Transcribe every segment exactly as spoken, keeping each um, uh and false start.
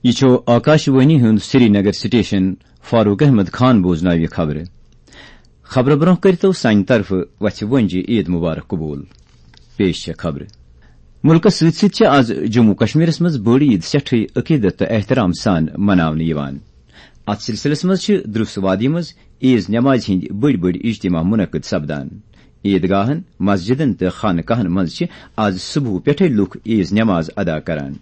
یہِ چھُ آکاشوانی ہُنٛد سرینگر سٹیشن۔ فاروق احمد خان بوزناوِ خبرٕ۔ خبرٕ برٛونٛہہ کٔرتو سانہِ طرفہٕ وَژھِ وٲنٛجہِ عید مبارک قبول۔ پیش چھےٚ خبرٕ۔ مُلکس سۭتۍ سۭتۍ چھِ آز جموں کشمیرس منٛز بٔڑ عید سٮ۪ٹھٕے عقیدت تہٕ احترام سان مناونہٕ یِوان۔ اتھ سلسلس منٛز چھِ درُس وادی منٛز عیز نمازِ ہٕنٛدۍ بٔڑۍ بٔڑۍ اجتماع منعقد سپدان۔ عیدگاہن، مسجدن تہٕ خانقاہن منٛز چھِ آز صبحہٕ پٮ۪ٹھے لوٗکھ عیز نماز ادا کران۔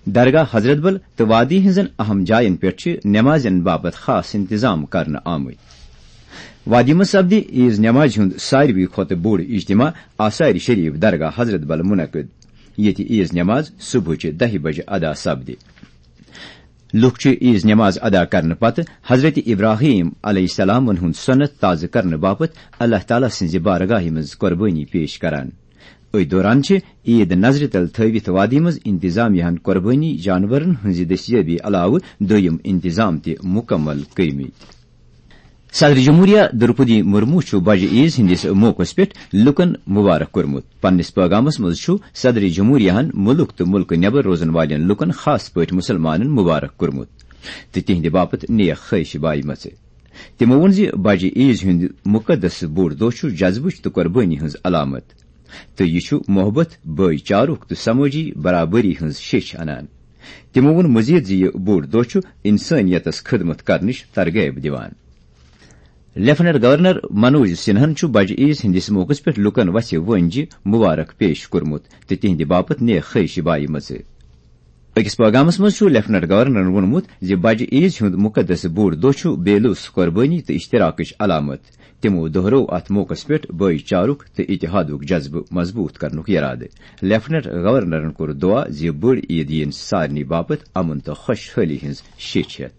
درگاہ حضرت بل تہٕ وادی ہٕنٛزن اہم جاین پٮ۪ٹھ چھِ نمازن باپتھ خاص انتظام کرنہٕ آمٕتۍ۔ وادی منٛز سپدِ عیز نمازِ ہُنٛد ساروی کھۄتہٕ بوٚڑ اجتماع آثار شریف درگاہ حضرت بل منعقد، ییٚتہِ عیز نماز صبحٕچہِ دَہہِ بجہِ ادا سپدِ۔ لوٗکھ چھِ عیز نماز ادا کرنہٕ پتہٕ حضرت ابراہیم علیہ السلامن ہُنٛد سنت تازٕ کرنہٕ باپتھ اللہ تعالیٰ سٕنٛزِ بارگاہہِ منٛز قربٲنی پیش کران۔ أتھۍ دوران چھِ عید نظرِ تل تھٲوِتھ وادی منٛز انتظامیہ ہن قربٲنی جانورن ہٕنٛزِ دستیٲبی علاوٕ دوٚیم انتظام تہِ مکمل کٔرمٕتۍ۔ صدر جمہوریہ درپدی مرمو چھُ بجہِ عیز ہٕنٛدِس موقعس پٮ۪ٹھ لوٗکن مبارک کوٚرمُت۔ پننِس پیغامس منٛز چھُ صدر جمہوریہ ہن مُلک تہٕ مُلکہٕ نٮ۪بر روزن والٮ۪ن لوٗکن خاص پٲٹھۍ مُسلمانن مبارک کوٚرمُت تہٕ تِہنٛدِ باپتھ نیک خواہشہِ بایمژٕ۔ تِمو ووٚن زِ بجہِ عیز ہُنٛد مُقدس بوٚڑ دۄہ چھُ جذبٕچ تہٕ قۄربٲنی ہٕنٛز علامت، تہٕ یہِ چھُ محبت، بٲے چارُک تہٕ سمٲجی برابری ہٕنٛز شیٚچھ انان۔ تِمو ووٚن مزید زِ یہِ بوٚڑ دۄہ چھُ انسٲنیتس خدمت کرنٕچ ترغیب دِوان۔ لیفٹیننٹ گورنر منوج سنہن چھُ بجہِ عیز ہٕنٛدِس موقعس پٮ۪ٹھ لوٗکن وَژھِ وٲنٛجہِ مبارک پیش کوٚرمُت تہٕ تِہنٛدِ باپتھ نیک خواہشہِ بایمژٕ۔ أکِس پیغامس منٛز چھُ لیفٹیننٹ گورنرن ووٚنمُت زِ بجہِ عیز ہُنٛد مُقدس بوٚڑ دۄہ چھُ بے لوث قۄربٲنی تہٕ اشتراکٕچ علامت۔ تِمو دۄہرٲو اتھ موقعس پٮ۪ٹھ بٲے چارُک تہٕ اتحادُک جذبہٕ مضبوٗط کرنُک یرادٕ۔ لیفٹیننٹ گورنرن کوٚر دعا زِ بٔڑ عید یِن سارنٕے باپتھ امن تہٕ خۄشحٲلی ہٕنٛز شیٚچھ ہٮ۪تھ۔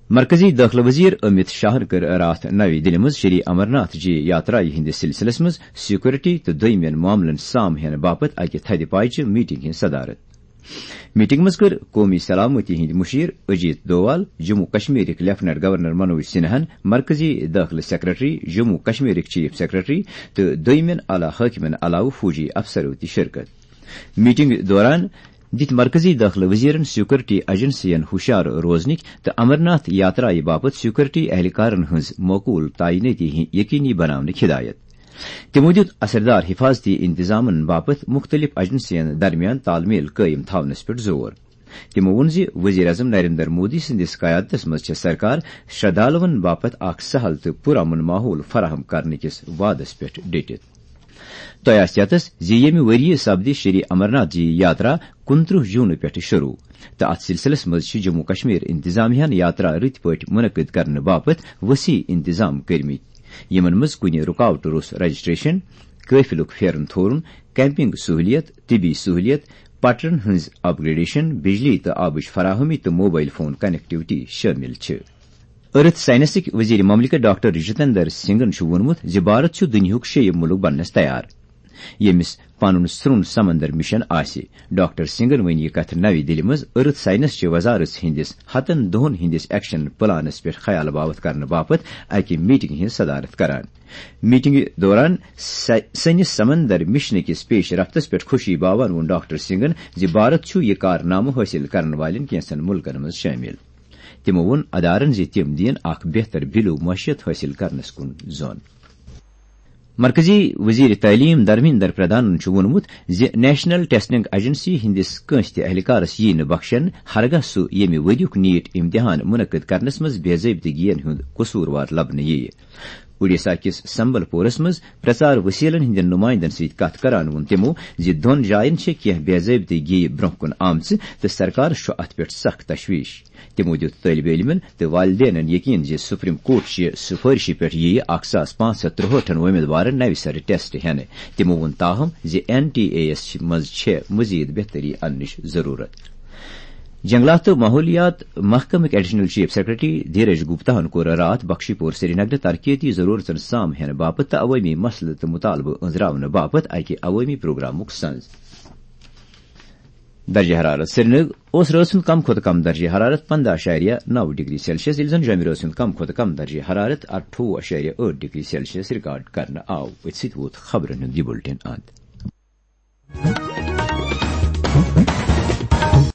مرکزی دٲخلہٕ وزیر امت شاہن کٔر راتھ نَوِ دِلہِ منٛز شری امرناتھ جی یاترایہِ ہٕنٛدِس سلسلس منٛز سیکورٹی تہٕ دوٚیمٮ۪ن معاملن سام ہینہٕ باپتھ اکہِ تھدِ پایہِ چہِ میٹنگ ہٕنٛز صدارت۔ میٹنگ منٛز کٔر قومی سلامتی ہٕنٛدۍ مُشیر اجیت دووال، جموں کشمیرٕکۍ لیفٹیننٹ گورنر منوج سنہاہن، مرکزی دٲخلہٕ سیکرٹری، جموں کشمیرٕکۍ چیف سیکرٹری تہٕ دوٚیمٮ۪ن اعلیٰ حٲکمن علاوٕ فوجی افسرو تہِ شرکت۔ میٹنگ دوران دِتۍ مرکزی دٲخلہٕ وزیرن سیکورٹی ایجنسین ہُشار روزنٕکۍ تہٕ امرناتھ یاترایہِ باپتھ سیکورٹی اہلکارن ہٕنٛز معقول تعینٲتی یقینی بناونٕکۍ ہدایت۔ تِمو دِیُت اثردار حفاظتی انتظامن باپتھ مُختٔلِف ایجنسین درمیان تال میل قٲیِم تھاونس پٮ۪ٹھ زور۔ تِمو ووٚن زِ وزیر اعظم نریندر مودی سٕنٛدِس قیادتس منٛز چھےٚ سرکار شردھالوَن باپتھ اکھ سہل تہٕ پُرامن ماحول فراہم کرنہٕ کِس وعدس پٮ۪ٹھ ڈٔٹِتھ۔ تۄہہِ آسہِ یَتس زِ ییٚمہِ ؤرۍ یہِ سپدِ شری امرناتھ جی یاترا کُنترٕہ جوٗنہٕ پٮ۪ٹھٕ شروٗع تہٕ اتھ سلسلس منٛز چھِ جموں کشمیر انتظامیہ ہن یاترا رٕتۍ پٲٹھۍ منعقد کرنہٕ باپتھ وسیع انتظام کٔرمٕتۍ، یِمن منٛز کُنہِ رُکاوٹہٕ روٚس رجسٹریشن، قٲفلُک پھیرن تھورُن، کیمپنگ سہولیت، طبی سہولیت، پٹرن ہٕنٛز اپ گریڈیشن، بجلی تہٕ آبٕچ فراہمی تہٕ موبائل فون کنیکٹیوٹی شٲمِل چھِ۔ ارتھ سائنسٕکۍ وزیر مملکت ڈاکٹر جتندر سنگھن چھُ ووٚنمُت زِ بھارت چھُ دُنیاہُک شیٚیِم مُلک بننس تیار، ییٚمِس پنُن سرٛوٚن سمندر مشن آسہِ۔ ڈاکٹر سنگھن ؤنۍ یہِ کتھ نَوِ دِلہِ منٛز ارتھ سائنس چہِ وزارت ہٕنٛدِس ہتن دۄہن ہٕنٛدِس ایکشن پلانس پٮ۪ٹھ خیال باوتھ کرنہٕ باپتھ اکہِ میٹنگ ہٕنٛز صدارت کران۔ میٹنگہِ دوران سہ-، سٲنِس سمندر مشنہٕ کِس پیش رفتس پٮ۪ٹھ خوشی باوان ووٚن ڈاکٹر سنگھن زِ بھارت چھُ یہِ کارنامہٕ حٲصِل کرن والٮ۪ن کینٛژن مُلکن منٛز شٲمِل۔ تِمو ووٚن ادارن زِ تِم دِین اکھ بہتر بِلو معیشت حٲصِل کرنس کُن زون۔ مرکزی وزیر تعلیم دھرمیندر پردھانن چھُ ووٚنمُت زِ نیشنل ٹیسٹنگ ایجنسی ہٕنٛدِس کٲنٛسہِ تہِ اہلکارس یِیہِ نہٕ بخشن، ہرگاہ سُہ ییٚمہِ ؤریُک نیٹ امتحان منعقد کرنس منٛز بے ضٲبطگین ہُنٛد قصوٗروار لبنہٕ یِیہِ۔ اوڈیشہ کِس سمبل پورس منٛز پرچار وسیلن ہٕنٛدٮ۪ن نمائندن سۭتۍ کتھ کران ووٚن تِمو زِ دۄن جاین چھِ کینٛہہ بے ضٲبطگی برٛونٛہہ کُن آمژٕ تہٕ سرکارس چھُ اتھ پٮ۪ٹھ سخ تشویش۔ تِمو دِیُت طٲلبہِ علمن تہٕ والدینن یقین زِ سپریم کورٹ چہِ سفٲرشہِ پٮ۪ٹھ یِیہِ اکھ ساس پانٛژھ ہتھ ترٛہٲٹھن وۄمیدوارن نوِ سرٕ ٹیسٹ ہٮ۪نہٕ۔ تِمو ووٚن، تاہم، زِ این ٹی اے یس منٛز چھےٚ مزید بہتری اننٕچ ضرورت۔ جنگلات تہٕ ماحولیات محکمٕکۍ ایڈیشنل چیف سیکرٹری دھیرج گپتاہن کوٚر راتھ بخشی پور سرینگرٕ ترقیتی ضرورتن سام ہینہٕ باپتھ تہٕ عوٲمی مسلہٕ تہٕ مطالبہٕ أنٛزراونہٕ باپتھ اکہِ عوٲمی پروگرامُک سنز۔ درجہ حرارت۔ سرینگر اوس رٲژ ہُنٛد کم کھۄتہٕ کم درجہ حرارت پنٛداہ اعشاریہ نَو ڈگری سیلسیس، ییٚلہِ زن جوٚمہِ رٲژ ہُنٛد کم کھۄتہٕ کم درجہ حرارت اَٹھووُہ اعشاریہ ٲٹھ ڈگری سیلسیس ریکارڈ کرنہٕ آو۔ أتھۍ سۭتۍ ووت خبرن ہُنٛد یہِ بُلٹن اند۔